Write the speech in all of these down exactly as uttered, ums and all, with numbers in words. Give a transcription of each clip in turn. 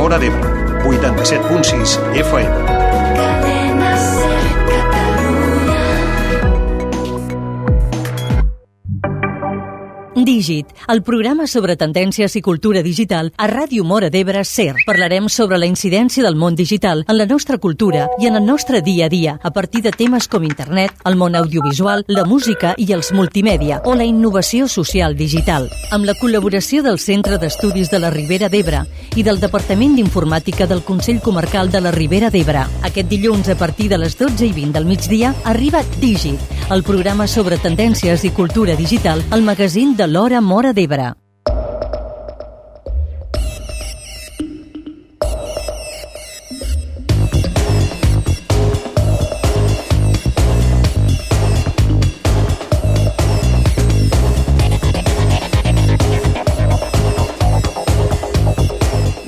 Móra d'Ebre, vuitanta-set punt sis F M. Dígit, el programa sobre tendències i cultura digital a Ràdio Móra d'Ebre SER. Parlarem sobre la incidència del món digital en la nostra cultura i en el nostre dia a dia, a partir de temes com internet, el món audiovisual, la música i els multimèdia o la innovació social digital. Amb la col·laboració del Centre d'Estudis de la Ribera d'Ebre i del Departament d'Informàtica del Consell Comarcal de la Ribera d'Ebre. Aquest dilluns, a partir de les dotze i vint del migdia, arriba Dígit, el programa sobre tendències i cultura digital, al magazín de l'Hora Móra d'Ebre.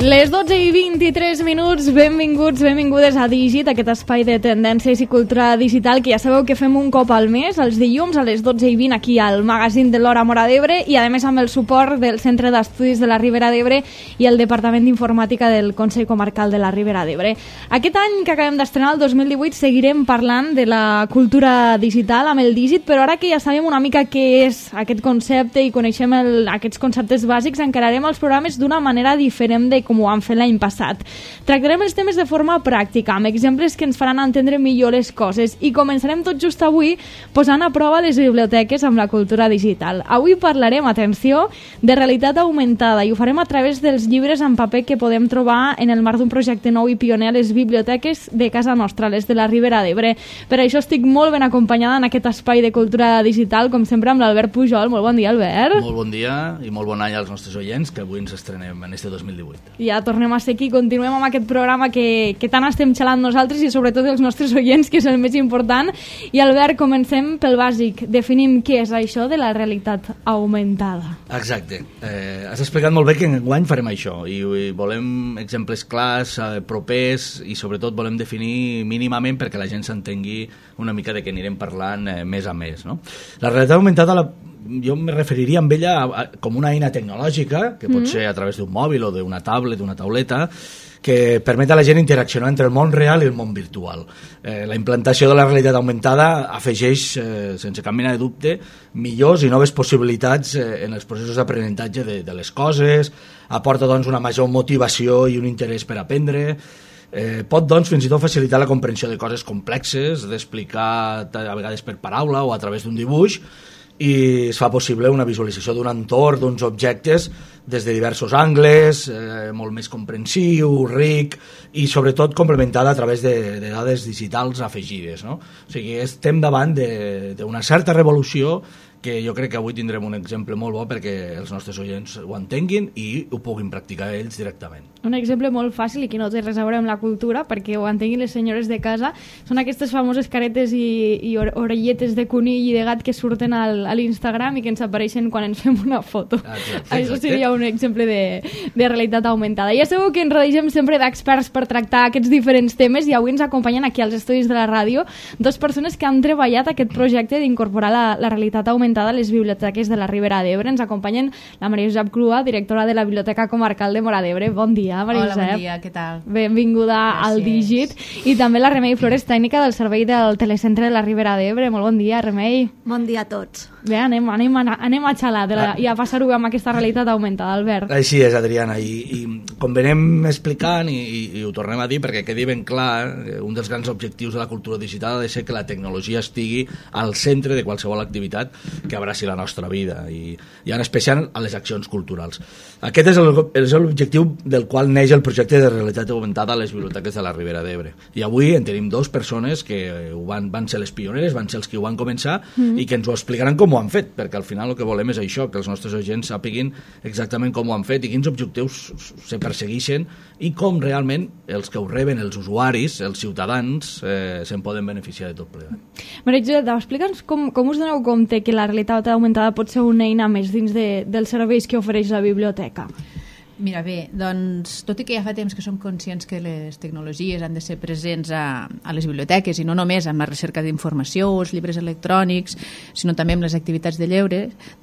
Les dotze i vint-i-tres minuts, benvinguts, benvingudes a Dígit, aquest espai de tendències i cultura digital que ja sabeu que fem un cop al mes, els dilluns a les dotze i vint aquí al magazín de l'Hora Móra d'Ebre i a més amb el suport del Centre d'Estudis de la Ribera d'Ebre i el Departament d'Informàtica del Consell Comarcal de la Ribera d'Ebre. Aquest any que acabem d'estrenar, el dos mil divuit, seguirem parlant de la cultura digital amb el Dígit, però ara que ja sabem una mica què és aquest concepte i coneixem el, aquests conceptes bàsics, encararem els programes d'una manera diferent de com ho vam fer l'any passat. Tractarem els temes de forma pràctica, amb exemples que ens faran entendre millor les coses i començarem tot just avui posant a prova les biblioteques amb la cultura digital. Avui parlarem, atenció, de realitat augmentada i ho farem a través dels llibres en paper que podem trobar en el marc d'un projecte nou i pioner a les biblioteques de casa nostra, les de la Ribera d'Ebre. Per això estic molt ben acompanyada en aquest espai de cultura digital, com sempre amb l'Albert Pujol. Molt bon dia, Albert. Molt bon dia i molt bon any als nostres oients, que avui ens estrenem en este dos mil divuit. Ja tornem a ser aquí, continuem amb aquest programa que, que tant estem xalant nosaltres i sobretot els nostres oients, que és el més important. I Albert, comencem pel bàsic. Definim què és això de la realitat augmentada. Exacte. Eh, has explicat molt bé que enguany farem això i, i volem exemples clars, eh, propers i sobretot volem definir mínimament perquè la gent s'entengui una mica de què anirem parlant eh, més a més, no? La realitat augmentada la jo me referiria amb ella a, a, com una eina tecnològica, que pot mm-hmm. ser a través d'un mòbil o d'una tablet, d'una tauleta, que permet a la gent interaccionar entre el món real i el món virtual. Eh, la implantació de la realitat augmentada afegeix, eh, sense cap mena de dubte, millors i noves possibilitats eh, en els processos d'aprenentatge de, de les coses, aporta doncs, una major motivació i un interès per aprendre, Eh, pot doncs fins i tot facilitar la comprensió de coses complexes, d'explicar a vegades per paraula o a través d'un dibuix, i es fa possible una visualització d'un entorn, d'uns objectes des de diversos angles, eh, molt més comprensiu, ric i sobretot complementada a través de, de dades digitals afegides, no? O sigui, estem davant d'una certa revolució que jo crec que avui tindrem un exemple molt bo perquè els nostres oients ho entenguin i ho puguin practicar ells directament. Un exemple molt fàcil i que no té res a veure amb la cultura, perquè ho entenguin les senyores de casa, són aquestes famoses caretes i, i orelletes de conill i de gat que surten al, a l'Instagram i que ens apareixen quan ens fem una foto. Exacte, Això seria un exemple de, de realitat augmentada. Ja sabeu que ens rodegem sempre d'experts per tractar aquests diferents temes i avui ens acompanyen aquí als estudis de la ràdio dues persones que han treballat aquest projecte d'incorporar la, la realitat augmentada a les biblioteques de la Ribera d'Ebre. Ens acompanyen la Maria Josep Clua, directora de la Biblioteca Comarcal de Móra d'Ebre. Bon dia, Maria Josep. Hola, bon dia, què tal? Benvinguda Gràcies. Al Dígit. I també la Remei Flores, tècnica del servei del Telecentre de la Ribera d'Ebre. Molt bon dia, Remei. Bon dia a tots. Bé, anem, anem, anem a xalar de la, i a passar-ho amb aquesta realitat augmentada, Albert. Així és, Adriana, i, i com venem explicant i, i, i ho tornem a dir perquè quedi ben clar, un dels grans objectius de la cultura digital ha de ser que la tecnologia estigui al centre de qualsevol activitat que abraci la nostra vida i, i en especial a les accions culturals. Aquest és l'objectiu del qual neix el projecte de realitat augmentada a les biblioteques de la Ribera d'Ebre. I avui en tenim dos persones que ho van, van ser les pioneres, van ser els que ho van començar mm. i que ens ho explicaran com ho han fet, perquè al final el que volem és això, que els nostres agents sàpiguin exactament com ho han fet i quins objectius se persegueixen i com realment els que ho reben, els usuaris, els ciutadans, eh, se'n poden beneficiar de tot plegat. Maria Josep, explica'ns com, com us doneu compte que la realitat augmentada pot ser una eina més dins de, dels serveis que ofereix la biblioteca. Mira, bé, doncs, tot i que ja fa temps que som conscients que les tecnologies han de ser presents a, a les biblioteques i no només amb la recerca d'informació o els llibres electrònics, sinó també amb les activitats de lleure,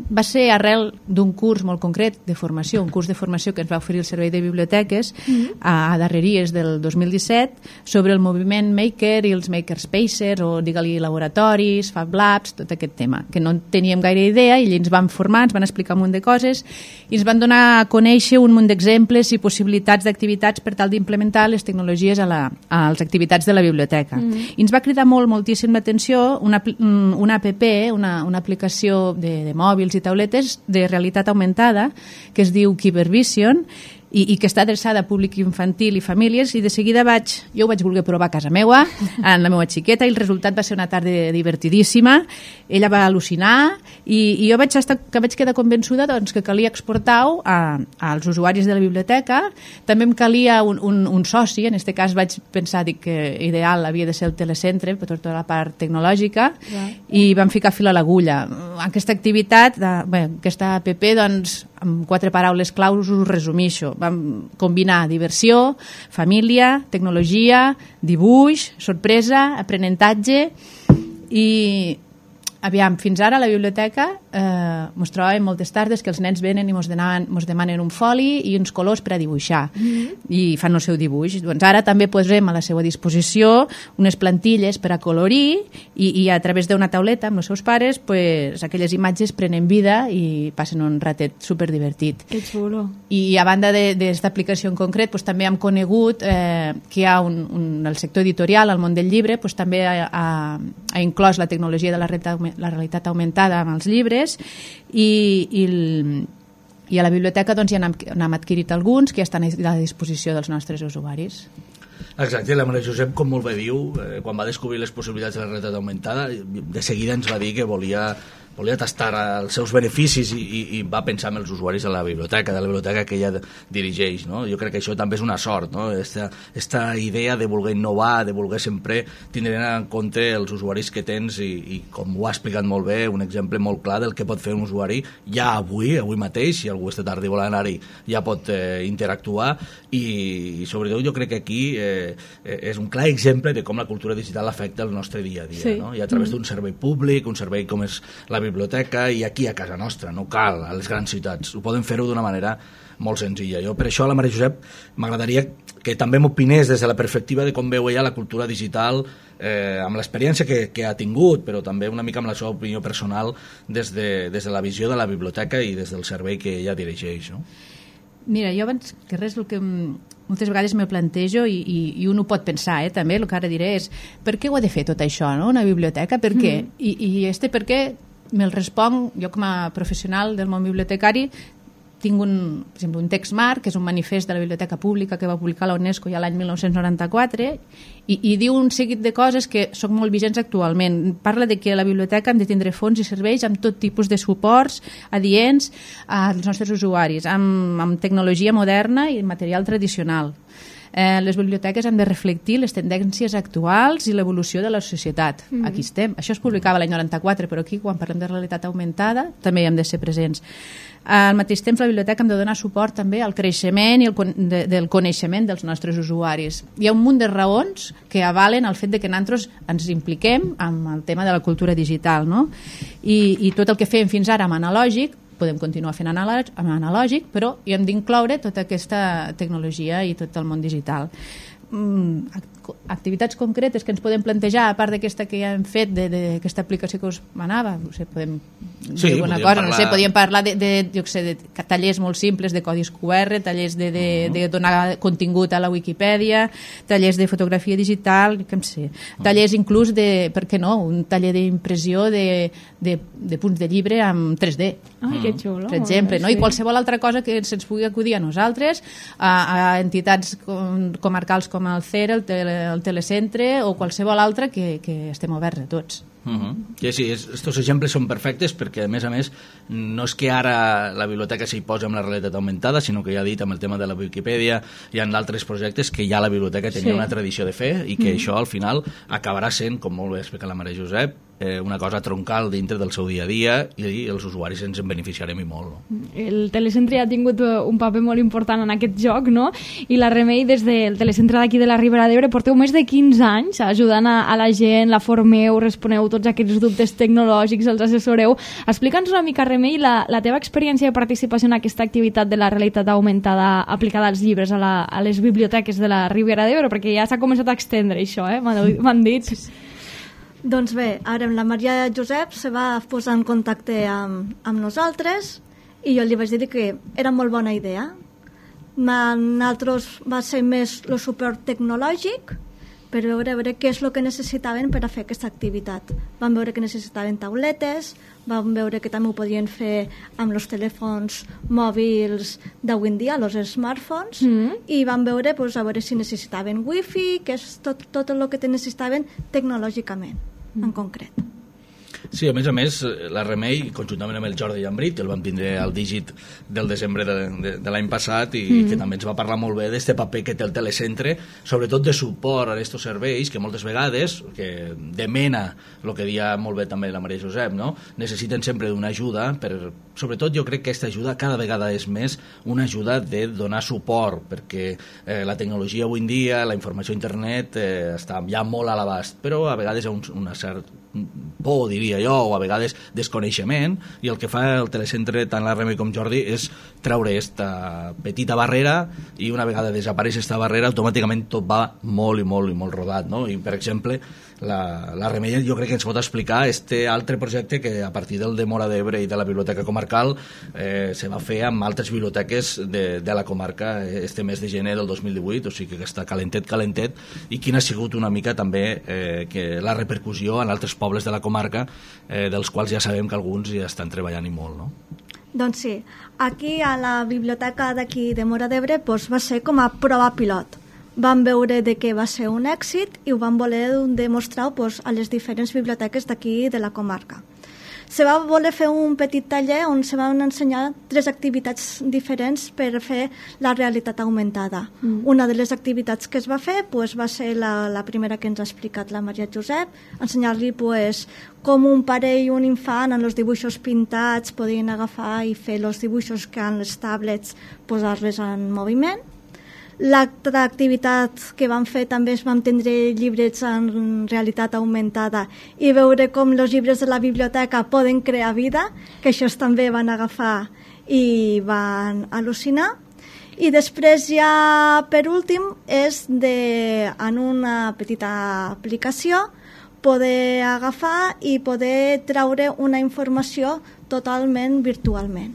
va ser arrel d'un curs molt concret de formació, un curs de formació que ens va oferir el Servei de Biblioteques mm-hmm. a, a darreries del dos mil disset sobre el moviment Maker i els Makerspaces o, digue-li, laboratoris, Fab Labs, tot aquest tema, que no en teníem gaire idea i ens van formar, ens van explicar un munt de coses i ens van donar a conèixer un d'exemples i possibilitats d'activitats per tal d'implementar les tecnologies a, la, a les activitats de la biblioteca. Mm. I ens va cridar molt, moltíssim l'atenció una, una app, una, una aplicació de, de mòbils i tauletes de realitat augmentada que es diu Cybervision i, i que està adreçada a públic infantil i famílies i de seguida vaig, jo ho vaig voler provar a casa meua, amb la meva xiqueta i el resultat va ser una tarda divertidíssima, ella va al·lucinar i, i jo vaig, estar, que vaig quedar convençuda doncs, que calia exportar-ho als usuaris de la biblioteca, també em calia un, un, un soci, en aquest cas vaig pensar dic, que ideal havia de ser el telecentre per tota la part tecnològica yeah. i vam ficar fil a l'agulla. Aquesta activitat, de, bé, aquesta app, doncs, amb quatre paraules claus us resumixo. Vam combinar diversió, família, tecnologia, dibuix, sorpresa, aprenentatge i aviam, fins ara a la biblioteca eh, mos trobàvem moltes tardes que els nens venen i mos demanen, mos demanen un foli i uns colors per a dibuixar mm-hmm. i fan el seu dibuix. Doncs ara també posem a la seva disposició unes plantilles per a colorir i, i a través d'una tauleta amb els seus pares pues, aquelles imatges prenen vida i passen un ratet superdivertit. Que xulo. I a banda d'aquesta aplicació en concret pues, també hem conegut eh, que hi ha un, un, el sector editorial, al món del llibre, pues, també ha, ha, ha inclòs la tecnologia de la realitat la realitat augmentada amb els llibres i, i, el, i a la biblioteca doncs, ja n'hem adquirit alguns que ja estan a la disposició dels nostres usuaris. Exacte, la Maria Josep, com molt bé diu, eh, quan va descobrir les possibilitats de la realitat augmentada, de seguida ens va dir que volia volia tastar els seus beneficis i, i, i va pensar en els usuaris de la biblioteca, de la biblioteca que ella dirigeix, no? Jo crec que això també és una sort, no? Esta, esta idea de voler innovar, de voler sempre tindre en compte els usuaris que tens i, i com ho ha explicat molt bé, un exemple molt clar del que pot fer un usuari ja avui, avui mateix, si algú esta tarda vol anar-hi, ja pot eh, interactuar i, i sobretot jo crec que aquí eh, és un clar exemple de com la cultura digital afecta el nostre dia a dia, sí. No? I a través d'un servei públic, un servei com és la biblioteca i aquí a casa nostra, no cal a les grans ciutats, ho podem fer-ho d'una manera molt senzilla. Jo per això a la Maria Josep m'agradaria que també m'opinés des de la perspectiva de com veu ella la cultura digital eh, amb l'experiència que, que ha tingut, però també una mica amb la seva opinió personal des de, des de la visió de la biblioteca i des del servei que ella dirigeix, no? Mira, jo abans que res el que moltes vegades me plantejo i, i, i un ho pot pensar, eh, també, el que ara diré és per què ho ha de fer tot això, no? Una biblioteca, per què? Mm. I, i este per què me'l responc, jo com a professional del món bibliotecari tinc un, per exemple, un text marc, que és un manifest de la Biblioteca Pública que va publicar la UNESCO ja l'any mil nou-cents noranta-quatre i, i diu un seguit de coses que són molt vigents actualment. Parla de que la biblioteca hem de tindre fons i serveis amb tot tipus de suports adients als nostres usuaris, amb, amb tecnologia moderna i material tradicional. Eh, les biblioteques han de reflectir les tendències actuals i l'evolució de la societat. Mm. Aquí estem. Això es publicava l'any noranta-quatre, però aquí, quan parlem de realitat augmentada, també hi hem de ser presents. Al mateix temps, la biblioteca hem de donar suport també al creixement i el, de, del coneixement dels nostres usuaris. Hi ha un munt de raons que avalen el fet de que nosaltres ens impliquem amb el tema de la cultura digital, no? I, i tot el que fem fins ara amb analògic podem continuar fent analògic, analògic però hi hem d'incloure tota aquesta tecnologia i tot el món digital. Activitats concretes que ens podem plantejar a part d'aquesta que ja hem fet d'aquesta aplicació que us manava, no sé, podem sí, dir alguna cosa, parlar... no sé, podíem parlar de, de, jo sé, de tallers molt simples de codis Q R, tallers de, de, uh -huh. de donar contingut a la Wikipedia, tallers de fotografia digital, què em sé, tallers inclús de, per què no, un taller d'impressió de, de, de punts de llibre amb tres D. Ai, que xulo. Per exemple, no? I qualsevol altra cosa que se'ns pugui acudir a nosaltres, a, a entitats com, comarcals com el C E R, el, tele, el Telecentre o qualsevol altra que, que estem oberts a tots. Uh -huh. Sí, sí, estos exemples són perfectes perquè a més a més no és que ara la biblioteca s'hi posa amb la realitat augmentada, sinó que ja he dit amb el tema de la Wikipedia hi ha altres projectes que ja la biblioteca tenia sí. una tradició de fer i que uh -huh. això al final acabarà sent, com molt bé explica la Maria Josep, eh, una cosa troncal dintre del seu dia a dia i els usuaris ens en beneficiarem i molt. No? El telecentre ha tingut un paper molt important en aquest joc, no? I la Remei, des del telecentre d'aquí de la Ribera d'Ebre, porteu més de quinze anys ajudant a, a la gent, la formeu, responeu tots aquests dubtes tecnològics, els assessoreu. Explica'ns una mica, Remei, la, la teva experiència de participació en aquesta activitat de la realitat augmentada aplicada als llibres, a, la, a les biblioteques de la Ribera d'Ebre, perquè ja s'ha començat a extendre això, eh? M'han dit. Doncs bé, ara la Maria Josep se va posar en contacte amb, amb nosaltres i jo li vaig dir que era molt bona idea. Nosaltres va ser més el suport tecnològic per veure, veure què és el que necessitaven per a fer aquesta activitat. Vam veure que necessitaven tauletes, vam veure que també ho podien fer amb els telèfons mòbils d'avui en dia, els smartphones, mm. i vam veure, pues, a veure si necessitaven wifi, que és tot, tot el que necessitaven tecnològicament, mm. en concret. Sí, a més a més, la Remei, conjuntament amb el Jordi Llambrit, el vam tindre al dígit del desembre de, de, de l'any passat i mm. que també ens va parlar molt bé d'este paper que té el telecentre, sobretot de suport a aquests serveis que moltes vegades, que demena el que dia molt bé també la Maria Josep, no? Necessiten sempre d'una ajuda, per, sobretot jo crec que aquesta ajuda cada vegada és més una ajuda de donar suport, perquè eh, la tecnologia avui en dia, la informació a internet eh, està ja molt a l'abast, però a vegades hi ha un, una certa por, diria jo, o a vegades desconeixement, i el que fa el telecentre, tant la Remei com Jordi, és treure esta petita barrera, i una vegada desapareix esta barrera, automàticament tot va molt i molt i molt rodat, no? I, per exemple, la, la Remei jo crec que ens pot explicar este altre projecte que a partir del de Móra d'Ebre i de la Biblioteca Comarcal eh, se va fer amb altres biblioteques de, de la comarca este mes de gener del dos mil divuit, o sigui que està calentet, calentet, i quina ha sigut una mica també eh, que la repercussió en altres pobles de la comarca, eh, dels quals ja sabem que alguns ja estan treballant i molt, no? Doncs sí, aquí a la biblioteca d'aquí de Móra d'Ebre doncs va ser com a prova pilot. Vam veure de que va ser un èxit i ho vam voler demostrar doncs, a les diferents biblioteques d'aquí de la comarca. Se va voler fer un petit taller on se van ensenyar tres activitats diferents per fer la realitat augmentada. Mm. Una de les activitats que es va fer pues, va ser la, la primera que ens ha explicat la Maria Josep, ensenyar-li pues, com un pare i un infant en els dibuixos pintats podien agafar i fer els dibuixos que en les tablets posar-les en moviment. L'altra activitat que vam fer també és vam tindre llibres en realitat augmentada i veure com els llibres de la biblioteca poden crear vida, que això també van agafar i van al·lucinar. I després ja, per últim, és de, en una petita aplicació poder agafar i poder treure una informació totalment virtualment.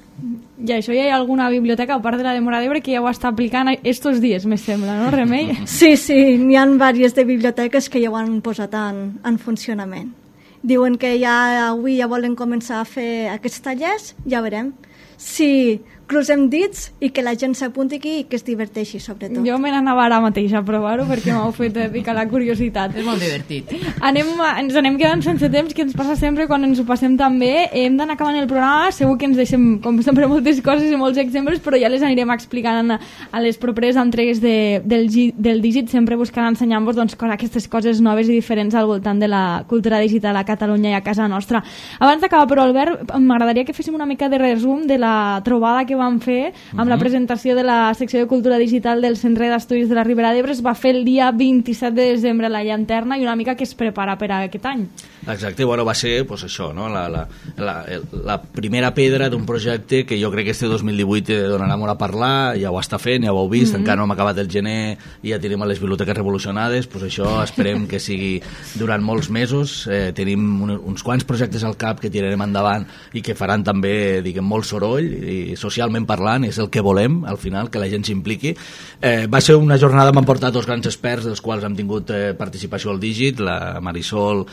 I això ja hi ha alguna biblioteca, a part de la de Móra d'Ebre, que ja ho està aplicant estos dies, me sembla, no, Remei? Sí, sí, n'hi ha diverses de biblioteques que ja ho han posat en, en funcionament. Diuen que ja avui ja volen començar a fer aquests tallers, ja veurem. Si crucem dits i que la gent s'apunti aquí i que es diverteixi, sobretot. Jo me n'anava ara mateix a provar-ho perquè m'heu fet picar la curiositat. És molt divertit. Anem, ens anem quedant sense temps, que ens passa sempre quan ens ho passem tan bé. Hem d'anar acabant el programa, segur que ens deixem, com sempre, moltes coses i molts exemples, però ja les anirem explicant a les properes entregues de, del, del dígit, sempre buscant ensenyar-vos doncs, aquestes coses noves i diferents al voltant de la cultura digital a Catalunya i a casa nostra. Abans d'acabar, però, Albert, m'agradaria que féssim una mica de resum de la trobada que vam fer amb uh-huh. la presentació de la secció de cultura digital del Centre d'Estudis de la Ribera d'Ebre. Es va fer el dia vint-i-set de desembre a la Llanterna i una mica que es prepara per a aquest any. Exacte, bueno, va ser pues, això, no? la, la, la, la primera pedra d'un projecte que jo crec que este dos mil divuit donarà molt a parlar, ja ho està fent, ja ho heu vist, uh-huh. encara no hem acabat el gener i ja tenim les biblioteques revolucionades, pues això esperem que sigui durant molts mesos. Eh, tenim un, uns quants projectes al cap que tirarem endavant i que faran també, diguem, molt soroll i socialment parlant, és el que volem al final, que la gent s'impliqui. Eh, va ser una jornada, m'han portat dos grans experts dels quals hem tingut eh, participació al dígit, la Marisol,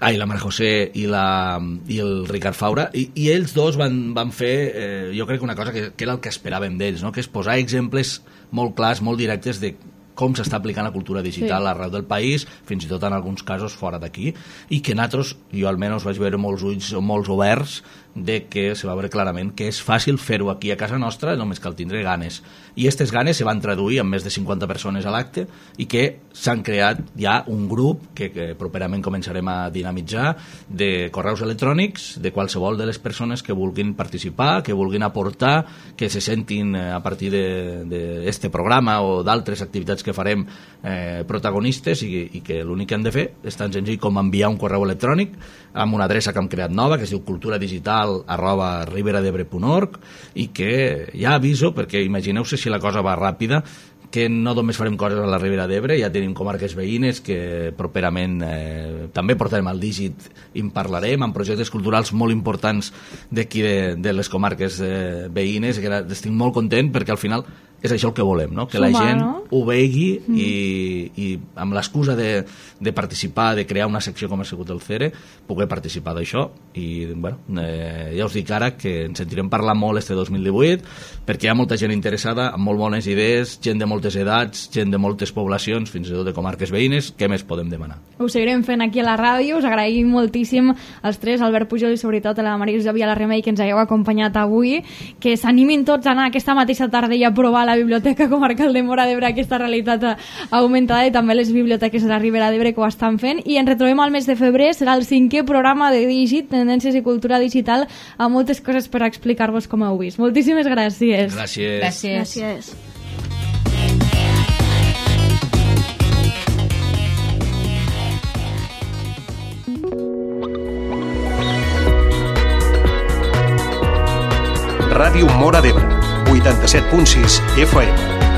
ai, la Maria José i, la, i el Ricard Faura, i, i ells dos van, van fer eh, jo crec que una cosa que, que era el que esperàvem d'ells, no? Que és posar exemples molt clars, molt directes de com s'està aplicant la cultura digital sí. arreu del país, fins i tot en alguns casos fora d'aquí, i que nosaltres, jo almenys vaig veure molts ulls molts oberts de que se va veure clarament que és fàcil fer-ho aquí a casa nostra, només cal tindre ganes. I aquestes ganes se van traduir en més de cinquanta persones a l'acte i que s'han creat ja un grup que, que properament començarem a dinamitzar de correus electrònics de qualsevol de les persones que vulguin participar, que vulguin aportar, que se sentin a partir d'aquest programa o d'altres activitats que farem eh, protagonistes i, i que l'únic que han de fer és tan senzill com enviar un correu electrònic amb una adreça que hem creat nova que es diu culturadigital arroba riberadebre punt org i que ja aviso, perquè imagineu-se si la cosa va ràpida, que no només farem coses a la Ribera d'Ebre, ja tenim comarques veïnes que properament eh, també portarem al dígit i en parlarem, amb projectes culturals molt importants d'aquí de, de les comarques eh, veïnes, que estic molt content perquè al final és això el que volem, no? Que Sumar, la gent no? ho vegi mm. i, i amb l'excusa de, de participar, de crear una secció com ha sigut el CERE, poder participar d'això i bueno, eh, ja us dic ara que ens sentirem parlar molt este dos mil divuit perquè hi ha molta gent interessada, amb molt bones idees, gent de moltes edats, gent de moltes poblacions, fins i tot de comarques veïnes, què més podem demanar? Ho seguirem fent aquí a la ràdio, us agraïm moltíssim als tres, Albert Pujol i sobretot a la Maria Josep i a la Remei que ens hagueu acompanyat avui, que s'animin tots a anar aquesta mateixa tarda i a provar la Biblioteca Comarcal de Móra d'Ebre aquesta realitat augmentada i també les biblioteques de la Ribera d'Ebre que ho estan fent i ens retrobem al mes de febrer, serà el cinquè programa de Digit, Tendències i Cultura Digital amb moltes coses per explicar-vos com heu vist. Moltíssimes gràcies. Gràcies. Gràcies. Gràcies. Ràdio Móra d'Ebre, vuitanta-set punt sis F M.